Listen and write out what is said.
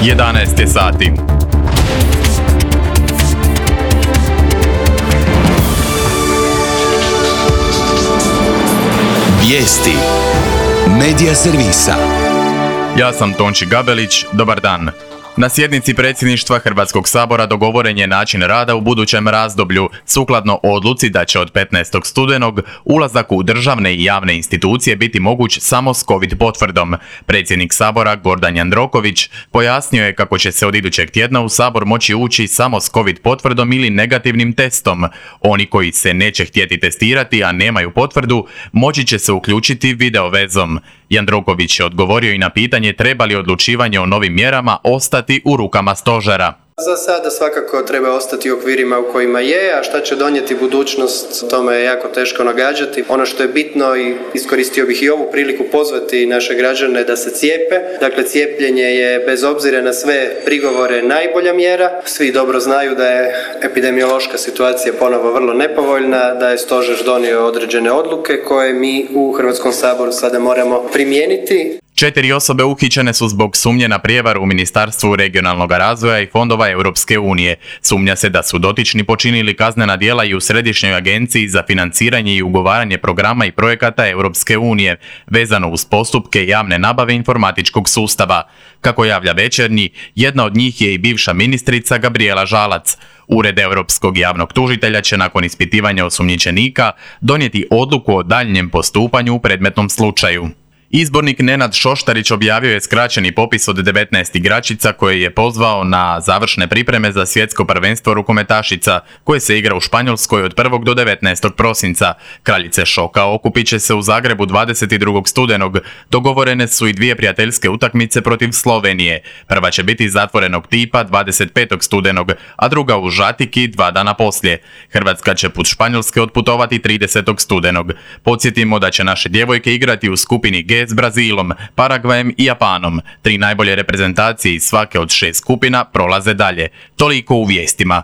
11 je sati. Vijesti Medija servisa. Ja sam Tonči Gabelić, dobar dan. Na sjednici predsjedništva Hrvatskog sabora dogovoren je način rada u budućem razdoblju, sukladno odluci da će od 15. studenog ulazak u državne i javne institucije biti moguć samo s COVID potvrdom. Predsjednik sabora Gordan Jandroković pojasnio je kako će se od idućeg tjedna u sabor moći ući samo s COVID potvrdom ili negativnim testom. Oni koji se neće htjeti testirati, a nemaju potvrdu, moći će se uključiti video vezom. Jandroković je odgovorio i na pitanje treba li odlučivanje o novim mjerama ostati u rukama stožera. Za sada svakako treba ostati u okvirima u kojima je, a šta će donijeti budućnost, tome je jako teško nagađati. Ono što je bitno i iskoristio bih i ovu priliku pozvati naše građane da se cijepe. Dakle, cijepljenje je bez obzira na sve prigovore najbolja mjera. Svi dobro znaju da je epidemiološka situacija ponovo vrlo nepovoljna, da je stožer donio određene odluke koje mi u Hrvatskom saboru sada moramo primijeniti. 4 osobe uhićene su zbog sumnje na prijevaru u Ministarstvu regionalnog razvoja i fondova Europske unije. Sumnja se da su dotični počinili kaznena djela i u Središnjoj agenciji za financiranje i ugovaranje programa i projekata Europske unije, vezano uz postupke javne nabave informatičkog sustava. Kako javlja Večernji, jedna od njih je i bivša ministrica Gabrijela Žalac. Ured Europskog javnog tužitelja će nakon ispitivanja osumnjičenika donijeti odluku o daljnjem postupanju u predmetnom slučaju. Izbornik Nenad Šoštarić objavio je skraćeni popis od 19 igračica koje je pozvao na završne pripreme za svjetsko prvenstvo rukometašica koje se igra u Španjolskoj od 1. do 19. prosinca. Kraljice šoka okupit će se u Zagrebu 22. studenog. Dogovorene su i 2 prijateljske utakmice protiv Slovenije. Prva će biti zatvorenog tipa 25. studenog, a druga u Žatiki 2 dana poslije. Hrvatska će put Španjolske otputovati 30. studenog. Podsjetimo da će naše djevojke igrati u skupini G s Brazilom, Paragvajem i Japanom. 3 najbolje reprezentacije iz svake od 6 skupina prolaze dalje. Toliko u vijestima.